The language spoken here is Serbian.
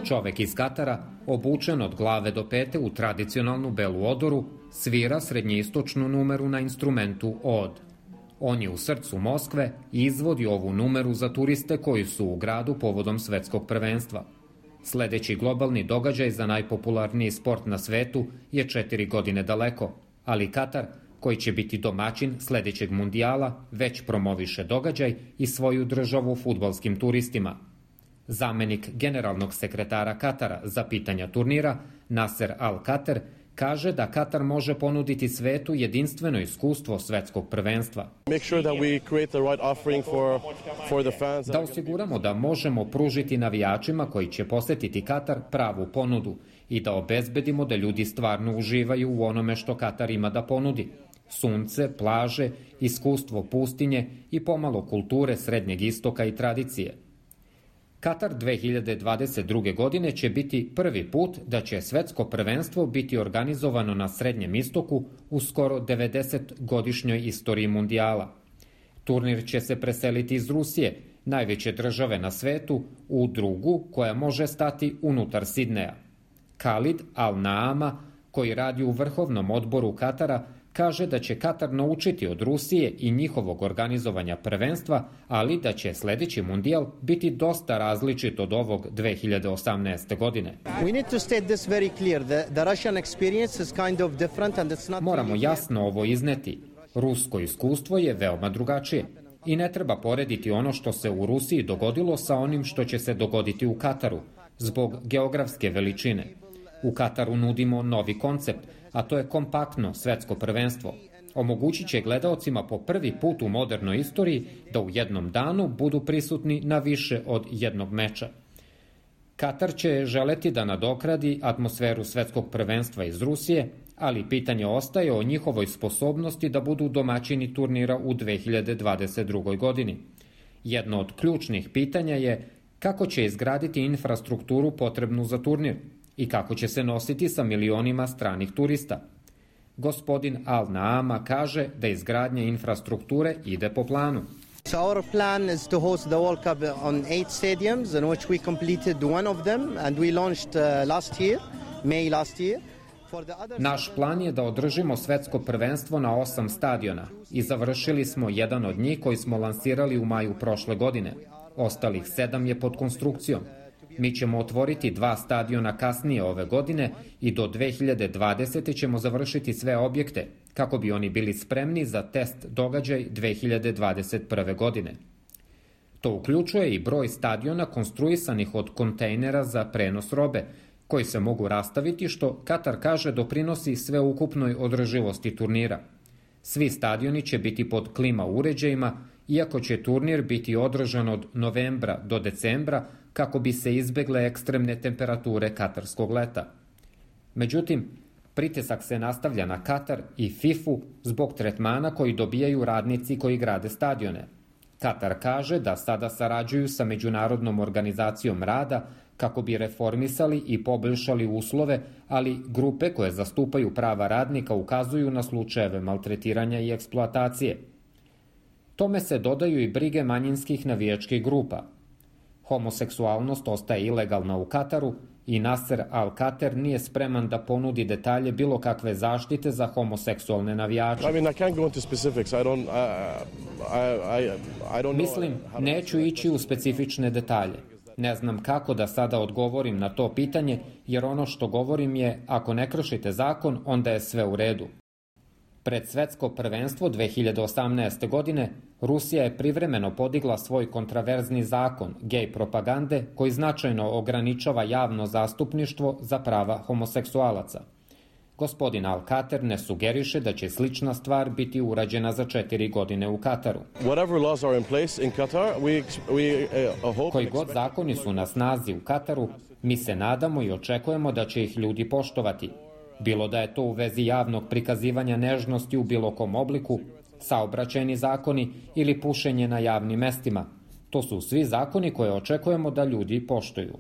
Čovek iz Katara, obučen od glave do pete u tradicionalnu belu odoru, svira srednjeistočnu numeru na instrumentu od. On je u srcu Moskve i izvodi ovu numeru za turiste koji su u gradu povodom svetskog prvenstva. Sledeći globalni događaj za najpopularniji sport na svetu je 4 godine daleko, ali Katar, koji će biti domaćin sledećeg mundijala, već promoviše događaj i svoju državu fudbalskim turistima. Zamenik generalnog sekretara Katara za pitanja turnira, Nasser Al-Khater, kaže da Katar može ponuditi svetu jedinstveno iskustvo svetskog prvenstva. Da osiguramo da možemo pružiti navijačima koji će posetiti Katar pravu ponudu i da obezbedimo da ljudi stvarno uživaju u onome što Katar ima da ponudi. Sunce, plaže, iskustvo pustinje i pomalo kulture Srednjeg istoka i tradicije. Katar 2022. godine će biti prvi put da će svetsko prvenstvo biti organizovano na Srednjem istoku u skoro 90-godišnjoj istoriji mundijala. Turnir će se preseliti iz Rusije, najveće države na svetu, u drugu koja može stati unutar Sidneja. Khalid Al-Naama, koji radi u vrhovnom odboru Katara, kaže da će Katar naučiti od Rusije i njihovog organizovanja prvenstva, ali da će sledeći mundijal biti dosta različit od ovog 2018. godine. Moramo jasno ovo izneti. Rusko iskustvo je veoma drugačije i ne treba porediti ono što se u Rusiji dogodilo sa onim što će se dogoditi u Kataru, zbog geografske veličine. U Kataru nudimo novi koncept, a to je kompaktno svetsko prvenstvo. Omogućit će gledaocima po prvi put u modernoj istoriji da u jednom danu budu prisutni na više od jednog meča. Katar će želeti da nadokradi atmosferu svetskog prvenstva iz Rusije, ali pitanje ostaje o njihovoj sposobnosti da budu domaćini turnira u 2022. godini. Jedno od ključnih pitanja je kako će izgraditi infrastrukturu potrebnu za turnir i kako će se nositi sa milionima stranih turista. Gospodin Al-Naama kaže da izgradnja infrastrukture ide po planu. Our plan is to host the World Cup on 8 stadiums in which we completed one of them and we launched May last year. Naš plan je da održimo svetsko prvenstvo na 8 stadiona i završili smo jedan od njih koji smo lansirali u maju prošle godine. Ostalih 7 je pod konstrukcijom. Mi ćemo otvoriti 2 stadiona kasnije ove godine i do 2020. ćemo završiti sve objekte, kako bi oni bili spremni za test događaj 2021. godine. To uključuje i broj stadiona konstruisanih od kontejnera za prenos robe, koji se mogu rastaviti, što Katar kaže doprinosi sveukupnoj održivosti turnira. Svi stadioni će biti pod klima uređajima, iako će turnir biti održan od novembra do decembra kako bi se izbegle ekstremne temperature katarskog leta. Međutim, pritisak se nastavlja na Katar i FIFA zbog tretmana koji dobijaju radnici koji grade stadione. Katar kaže da sada sarađuju sa Međunarodnom organizacijom rada kako bi reformisali i poboljšali uslove, ali grupe koje zastupaju prava radnika ukazuju na slučajeve maltretiranja i eksploatacije. Tome se dodaju i brige manjinskih navijačkih grupa. Homoseksualnost ostaje ilegalna u Kataru i Nasser Al-Khater nije spreman da ponudi detalje bilo kakve zaštite za homoseksualne navijače. Mislim, neću ići u specifične detalje. Ne znam kako da sada odgovorim na to pitanje, jer ono što govorim je, ako ne kršite zakon, onda je sve u redu. Pred svetsko prvenstvo 2018. godine Rusija je privremeno podigla svoj kontraverzni zakon gej propagande koji značajno ograničava javno zastupništvo za prava homoseksualaca. Gospodin Al-Khater ne sugeriše da će slična stvar biti urađena za 4 godine u Kataru. Koji god zakoni su na snazi u Kataru, mi se nadamo i očekujemo da će ih ljudi poštovati. Bilo da je to u vezi javnog prikazivanja nežnosti u bilo kom obliku, saobraćajni zakoni ili pušenje na javnim mestima. To su svi zakoni koje očekujemo da ljudi poštuju.